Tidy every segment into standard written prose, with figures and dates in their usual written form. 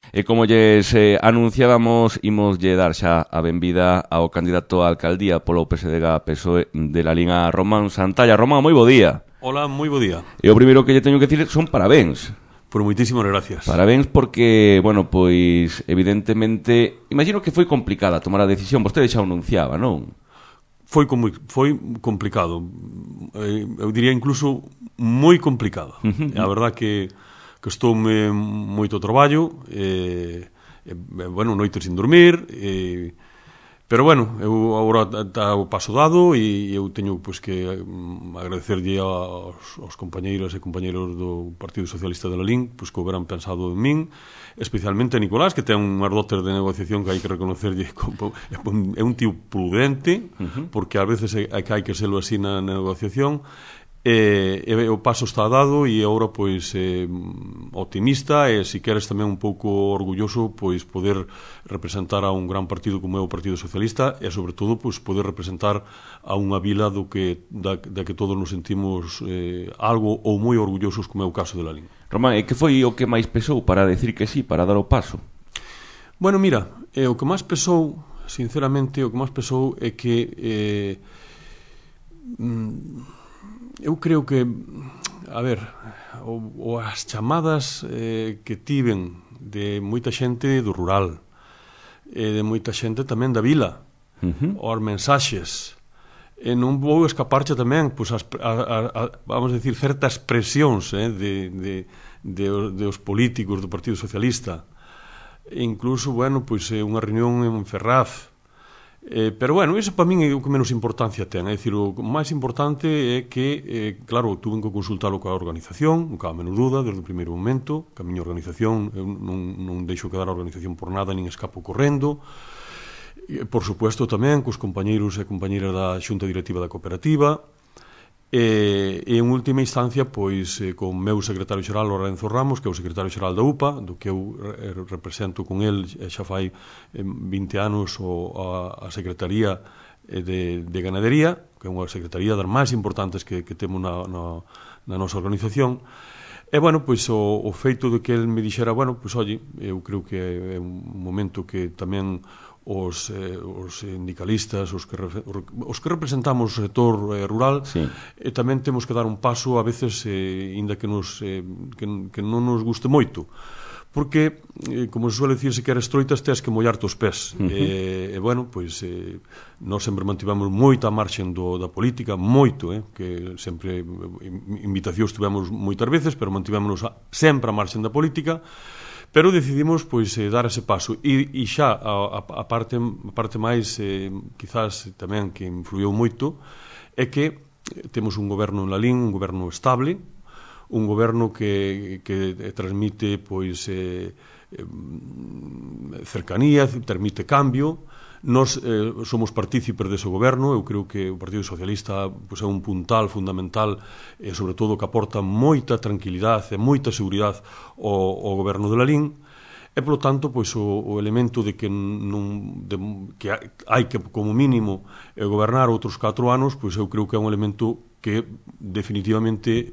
E como lles anunciábamos, imoslle dar xa a benvida ao candidato á alcaldía polo PSDG-PSOE de Lalín, a Román Santalla. Román, moi bo día. Hola, moi bo día. E o primeiro que lle teño que dicir son parabéns. Por moitísimas gracias. Parabéns porque, bueno, pois, evidentemente, imagino que foi complicada tomar a decisión. Vostede xa o anunciaba, non? Foi complicado. Eu diría incluso moi complicado. A verdad que costoume moito traballo, bueno, noites sin dormir, pero bueno, eu agora está o paso dado e eu teño pois que agradecerlle aos compañeiros e compañeiros do Partido Socialista de Lalín pois que houberan pensado en min, especialmente a Nicolás, que ten unhas dotes de negociación que hai que reconocerlle. É un tío prudente, porque ás veces hai que serlo así na negociación. O paso está dado e agora pois optimista e se queres tamén un pouco orgulloso pois poder representar a un gran partido como é o Partido Socialista e sobre todo pois poder representar a unha vila da que todos nos sentimos algo ou moi orgullosos, como é o caso de Lalín. Román, e que foi o que máis pesou para decir que sí, para dar o paso? Bueno, mira, o que máis pesou, sinceramente, o que máis pesou é que eu creo que, a ver, as chamadas que tiven de moita xente do rural, de moita xente tamén da vila, os mensaxes, non vou escaparche tamén, pois, vamos a decir, certas presións dos políticos do Partido Socialista, e incluso, bueno, pois unha reunión en Ferraz. Pero bueno, iso para min é o que menos importancia ten. É dicir, o máis importante é que, claro, tuve que consultalo coa organización, non cabe a menor duda, desde o primeiro momento, que a miña organización, eu non deixo quedar a organización por nada, nin escapo correndo. Por supuesto tamén cos compañeiros e compañeiras da Xunta Directiva da Cooperativa, e en última instancia pois con o meu secretario xeral Lorenzo Ramos, que é o secretario xeral da UPA, do que eu represento con el xa fai 20 anos a Secretaría de Ganadería, que é unha secretaría das máis importantes que temos na nosa organización. E, bueno, pois o feito de que el me dixera, bueno, pois, oye, eu creo que é un momento que tamén os sindicalistas, os que representamos o sector rural, sí, tamén temos que dar un paso a veces, inda que non nos guste moito, porque, como se suele dicir, se queres troitas tens que mollarte os pés. Bueno, pois nós sempre mantivemos moita marxen da política, moito, que sempre invitacións tivemos moitas veces, pero mantivémonos sempre a marxen da política. Pero decidimos pois dar ese paso e xa a parte máis quizás tamén que influiu moito é que temos un goberno en Lalín, un goberno estable, un goberno que transmite pois cercanía, permite cambio. Nós somos partícipes dese goberno. Eu creo que o Partido Socialista pois, é un puntal fundamental e, sobre todo, que aporta moita tranquilidade e moita seguridade ao goberno de Lalín. E, polo tanto, pois, o elemento de que hai que, como mínimo, gobernar outros 4 anos, pois eu creo que é un elemento que definitivamente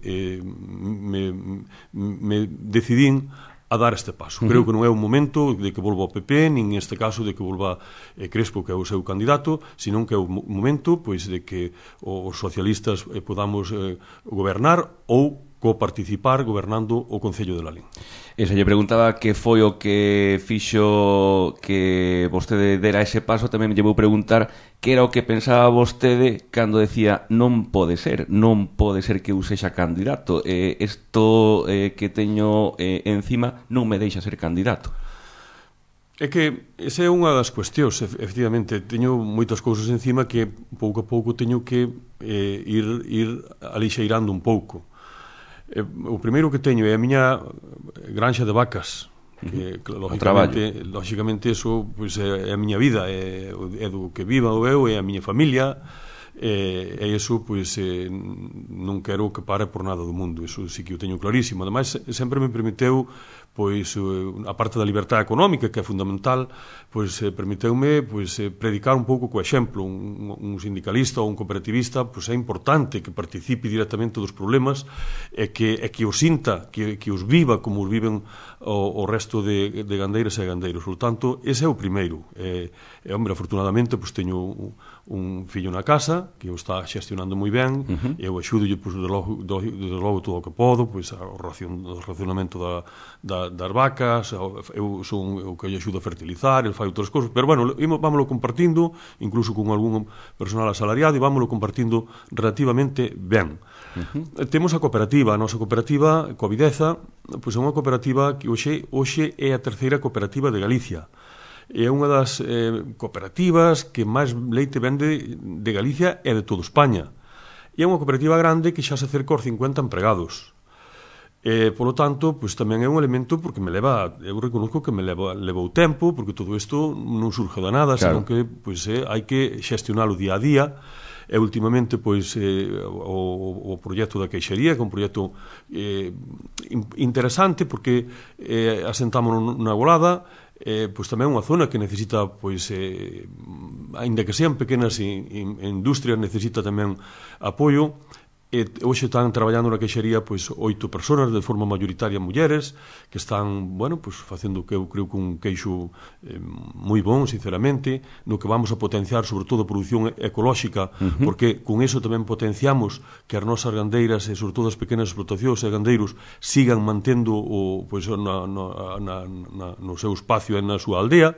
me decidín a dar este paso. Creo que non é un momento de que volva o PP, nin neste caso de que volva Crespo, que é o seu candidato, senón que é o momento pois de que os socialistas podamos gobernar ou coparticipar gobernando o Concello de Lalín. E se lle preguntaba que foi o que fixo que vostede dera ese paso, tamén lle vou preguntar que era o que pensaba vostede cando decía non pode ser que eu sexa candidato, isto que teño encima non me deixa ser candidato. É que esa é unha das cuestións, efectivamente, teño moitas cousas encima que pouco a pouco teño que ir alixeirando un pouco. O primeiro que teño é a miña granxa de vacas, que lógicamente eso pois, é a miña vida, é do que viva eu, é a miña familia, e iso pois, non quero que pare por nada do mundo. Iso sí que o teño clarísimo. Ademais, sempre me permiteu pois a parte da liberdade económica, que é fundamental, pois permiteume pois predicar un pouco co exemplo. Un sindicalista ou un cooperativista pois é importante que participe directamente dos problemas e que os sinta, que os viva como os viven o resto de gandeiras e gandeiros. Por tanto, ese é o primeiro. Hombre, afortunadamente, pois teño un fillo na casa que o está xestionando moi ben, eu axudo pois, de logo todo o que podo, pois o racionamento das vacas, eu son o que lle axudo a fertilizar, el fai outras cousas, pero bueno, vámoslo compartindo, incluso con algún personal asalariado, e vámoslo compartindo relativamente ben. Temos a cooperativa, a nosa cooperativa Covideza, pois é unha cooperativa que hoxe é a terceira cooperativa de Galicia. É unha das cooperativas que máis leite vende de Galicia e de toda España. E é unha cooperativa grande que xa se acerca aos 50 empregados. Polo tanto, pois tamén é un elemento porque eu reconozco que me levou tempo, porque todo isto non surge da nada, claro, senón que pois hai que xestionalo día a día. E últimamente pois o proxecto da queixería, que é un proxecto interesante porque asentámonos na Golada, pois tamén unha zona que necesita, pois aínda que sean pequenas industrias, necesita tamén apoio. Hoxe están traballando na queixería pois 8 persoas, de forma mayoritaria mulleres, que están, bueno, pois facendo que eu creo que un queixo moi bon, sinceramente, no que vamos a potenciar sobre todo a produción ecolóxica, porque con eso tamén potenciamos que as nosas gandeiras e sobre todo as pequenas explotacións e gandeiros sigan mantendo pois no seu espacio e na súa aldea.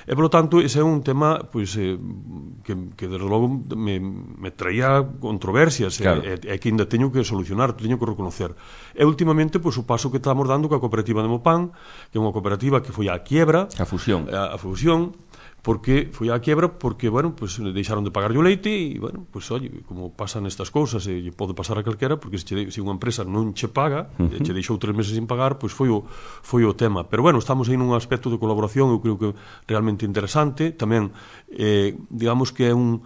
E, polo tanto, ese é un tema pois, que desde logo me traía controversias, claro, e que ainda teño que solucionar, teño que reconocer. E, últimamente, pois, o paso que estamos dando coa cooperativa de Mopán, que é unha cooperativa que foi á quiebra. A fusión. A fusión, porque foi á quiebra porque, bueno, pues deixaron de pagar o leite e, bueno, pues, oye, como pasan estas cousas e pode pasar a calquera, porque se unha empresa non che paga, che deixou 3 meses sin pagar, pois foi o tema. Pero, bueno, estamos aí nun aspecto de colaboración, eu creo que realmente interesante. Tamén, digamos que é un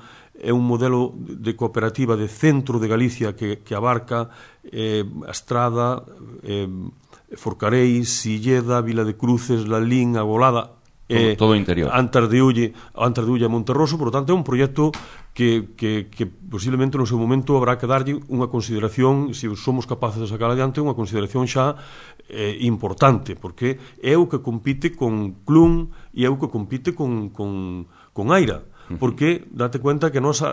modelo de cooperativa de centro de Galicia que abarca a Estrada, Forcareis, Silleda, Vila de Cruces, Lalín, a Golada, todo o interior, Antas de Ulle a Monterroso. Por lo tanto, é un proxecto que posiblemente no seu momento habrá que darlle unha consideración, se somos capaces de sacar adiante, unha consideración xa importante, porque é o que compite con Clun e é o que compite con Aira, porque date cuenta que nos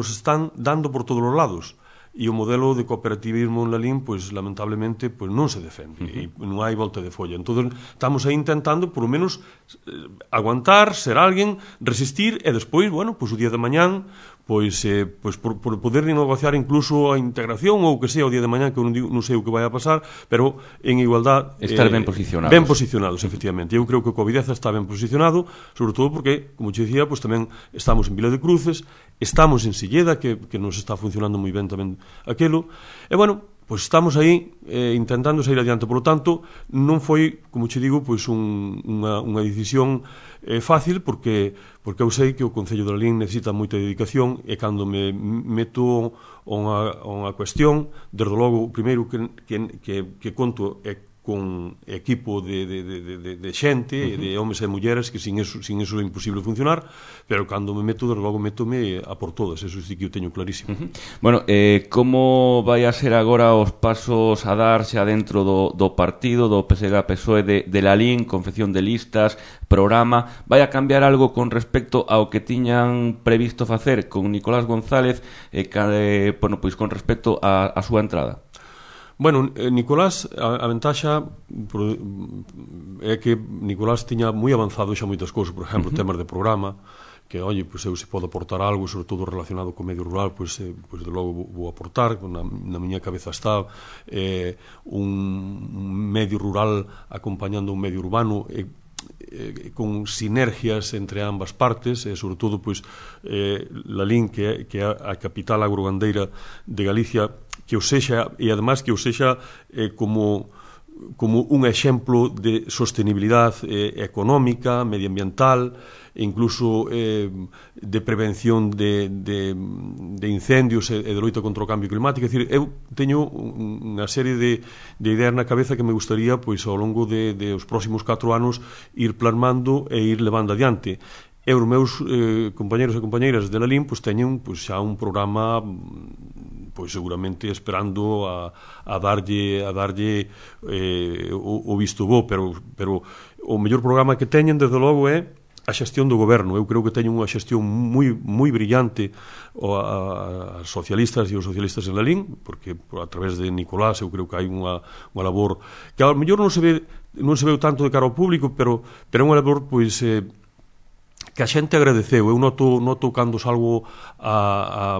están dando por todos os lados. E o modelo de cooperativismo en Lalín, pois, lamentablemente, pois non se defende, e non hai volta de folla. Entón, estamos aí intentando, por lo menos, aguantar, ser alguén, resistir, e despois, bueno, pois o día de mañán, pois por poder negociar incluso a integración ou o que sea o día de mañán, que eu non sei o que vai a pasar, pero en igualdad estar ben posicionados. Ben posicionados, efectivamente. Eu creo que o Covideza está ben posicionado, sobre todo porque, como te dicía, pois tamén estamos en Vila de Cruces, estamos en Silleda, que nos está funcionando moi ben tamén aquilo, e bueno, pois estamos aí intentando sair adiante. Por lo tanto, non foi, como che digo, pois unha decisión fácil, porque eu sei que o Concello de Lalín necesita moita dedicación, e cando me meto unha cuestión, desde logo, o primeiro que conto é con equipo de xente, de homes e mulleres, que sin eso é imposible funcionar, pero cando me meto, desde logo, métome a por todas, eso sí que eu teño clarísimo. Bueno, como vai a ser agora os pasos a dar xa dentro do partido, do PSG-PSOE de Lalín, confección de listas, programa, vai a cambiar algo con respecto ao que tiñan previsto facer con Nicolás González, bueno, pois con respecto a súa entrada? Bueno, Nicolás, a ventaxa é que Nicolás tiña moi avanzado xa moitas cousas, por exemplo, temas de programa, que, oye, pois eu se podo aportar algo, sobre todo relacionado co medio rural, pois de logo vou aportar. Na miña cabeza está un medio rural acompañando un medio urbano, con sinergias entre ambas partes, e sobre todo pois Lalín, que é a capital agrogandeira de Galicia, que o sexa, e además que o sexa como como un exemplo de sostenibilidade económica, medioambiental, e incluso de prevención de incendios e de loita contra o cambio climático. É dicir, eu teño unha serie de ideas na cabeza que me gustaría, pois, ao longo de os próximos 4 anos ir plasmando e ir levando adiante. E os meus compañeros e compañeiras de la LIN pois, teñen pois, xa un programa pois, seguramente esperando a darlle o visto bo, pero o mellor programa que teñen, desde logo, é a xestión do goberno. Eu creo que teñen unha xestión moi brillante as socialistas e os socialistas en la LIN, porque a través de Nicolás eu creo que hai unha labor que ao mellor non se ve tanto de cara ao público, pero é unha labor pois que a xente agradeceu. Eu noto cando salgo a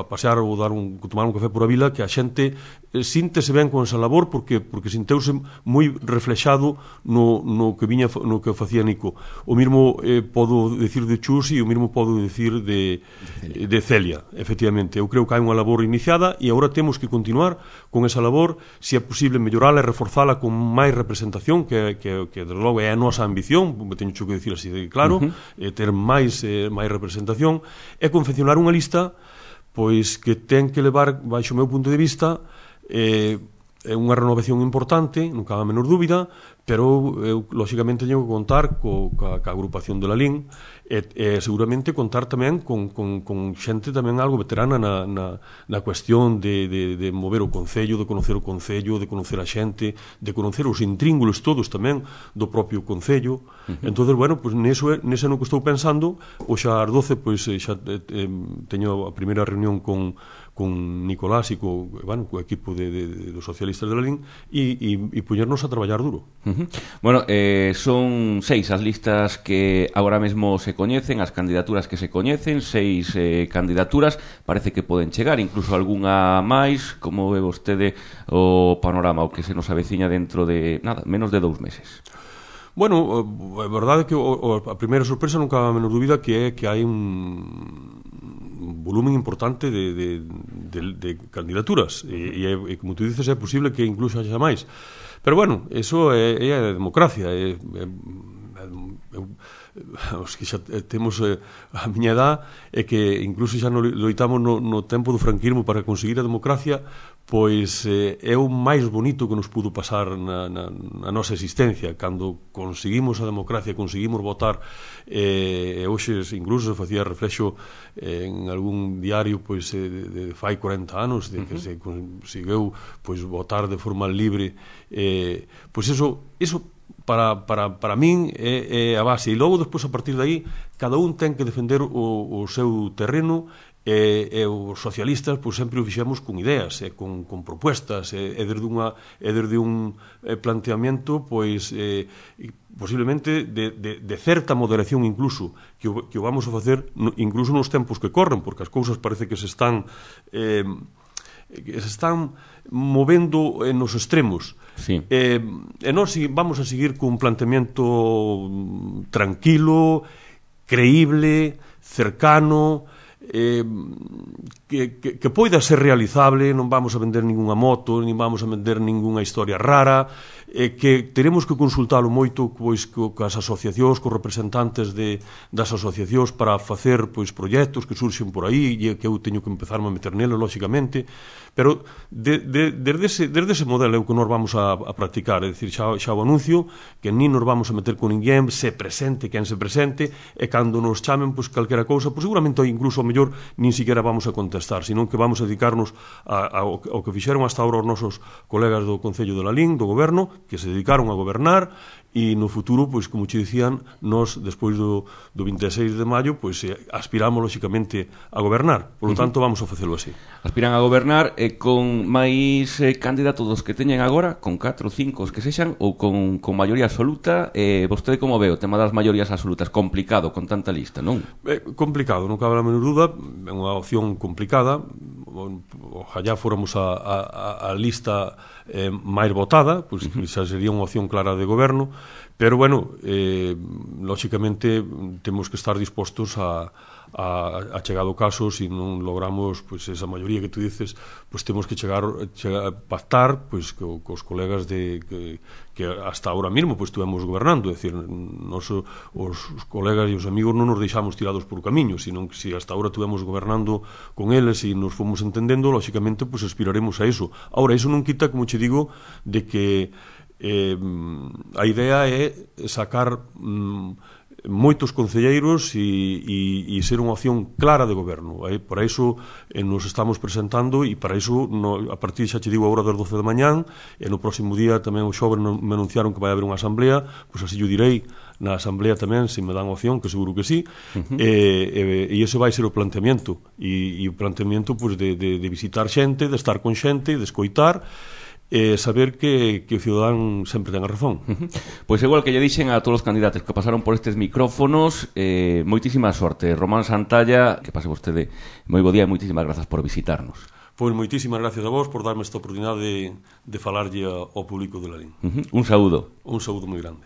pasear ou tomar un café por a vila, que a xente síntese ben con esa labor porque sinteuse moi reflexado no que facía Nico. O mismo podo decir de Chus e o mismo podo decir de Celia, efectivamente. Eu creo que hai unha labor iniciada e agora temos que continuar con esa labor, se é posible mellorala e reforzala con máis representación, que desde logo é a nosa ambición, teño que decir así de claro, ter máis representación, e confeccionar unha lista pois que ten que levar, baixo o meu punto de vista, é unha renovación importante, non cabe a menor dúbida, pero eu, lóxicamente, teño que contar ca agrupación de la LIN e seguramente contar tamén con xente tamén algo veterana na cuestión de mover o Concello, de conocer o Concello, de conocer a xente, de conocer os intríngulos todos tamén do propio Concello. Entón, bueno, pues nese no que estou pensando. Hoxe ás 12 pois xa teño a primeira reunión con Nicolás e co equipo dos socialistas de la LIN e poñernos a traballar duro. Bueno, son 6 as listas que agora mesmo se coñecen, as candidaturas que se coñecen, 6 candidaturas, parece que poden chegar, incluso algunha máis. Como ve vostede o panorama, o que se nos aveciña dentro de, menos de 2 meses? Bueno, a verdade é que a primeira sorpresa non cabe a menor dúbida que hai un volumen importante de candidaturas e como tú dices, é posible que incluso haxa máis, pero bueno, eso é a democracia. Os que xa temos a miña edad, é que incluso xa loitamos no tempo do franquismo para conseguir a democracia, pois é o máis bonito que nos pudo pasar na nosa existencia, cando conseguimos a democracia, conseguimos votar. Hoxe incluso se facía reflexo en algún diario pois de fai 40 anos de que se conseguiu pois votar de forma libre. Pois eso para min é a base, e logo despois, a partir de aí, cada un ten que defender o seu terreno, e os socialistas pois sempre o fixemos con ideas e con propuestas e desde un planteamiento pois posiblemente de certa moderación, incluso que o vamos a facer incluso nos tempos que corren, porque as cousas parece que se están movendo nos extremos. Sí. E nós vamos a seguir cun planteamiento tranquilo, creíble, cercano, que poida ser realizable. Non vamos a vender ningunha moto, nin vamos a vender ningunha historia rara, que teremos que consultalo moito pois coas asociacións, cos representantes das asociacións para facer pois proxectos que surxen por aí, e que eu teño que empezarme a meter nelo, lóxicamente, pero desde ese modelo é o que nós vamos a practicar. É dicir, xa o anuncio, que nin nos vamos a meter con ninguén, se presente quen se presente, e cando nos chamen pois calquera cousa, pois seguramente incluso ao mellor nin siquiera vamos a contestar, senón que vamos a dedicarnos ao que fixeron hasta ahora os nosos colegas do Concello de la LIN, do Goberno, que se dedicaron a gobernar, e no futuro, pois, como che dicían, nós, despois do 26 de maio, pois, aspiramos, lóxicamente, a gobernar. Por lo tanto, vamos a facelo así. Aspiran a gobernar con máis candidatos dos que teñen agora, con 4 ou 5 os que sexan, ou con maioría absoluta. Vostede como ve o tema das maiorías absolutas? Complicado con tanta lista, non? Complicado, non cabe a menor dúda. É unha opción complicada. Ojalá fóramos a lista máis votada, pois esa sería unha opción clara de goberno, pero, bueno, lóxicamente temos que estar dispostos a chegar ao caso. Se non logramos pois esa maioría que tú dices, pois temos que chegar pactar pois cos colegas que hasta ahora mismo pois estuvemos gobernando, é dicir, os colegas e os amigos non nos deixamos tirados por camiño, sino que se hasta ahora estuvemos gobernando con eles e nos fomos entendendo, lóxicamente pois aspiraremos a iso. Ahora, iso non quita, como che digo, de que a idea é sacar moitos concelleiros e ser unha opción clara de goberno. Para iso nos estamos presentando e para iso a partir, xa che digo, a hora das 12 da mañán, e no próximo día tamén o xoves me anunciaron que vai haber unha asamblea, pois así yo direi na asamblea tamén, se me dan opción, que seguro que sí, e ese vai ser o planteamiento, e o planteamiento pois de visitar xente, de estar con xente, de escoitar, saber que o cidadán sempre ten a razón. Pois igual que lle dixen a todos os candidatos que pasaron por estes micrófonos, moitísima sorte. Román Santalla, que pase vostede moi bo día e moitísimas grazas por visitarnos. Pois moitísimas gracias a vos por darme esta oportunidade de falarlle ao público de Lalín. Un saúdo. Un saúdo moi grande.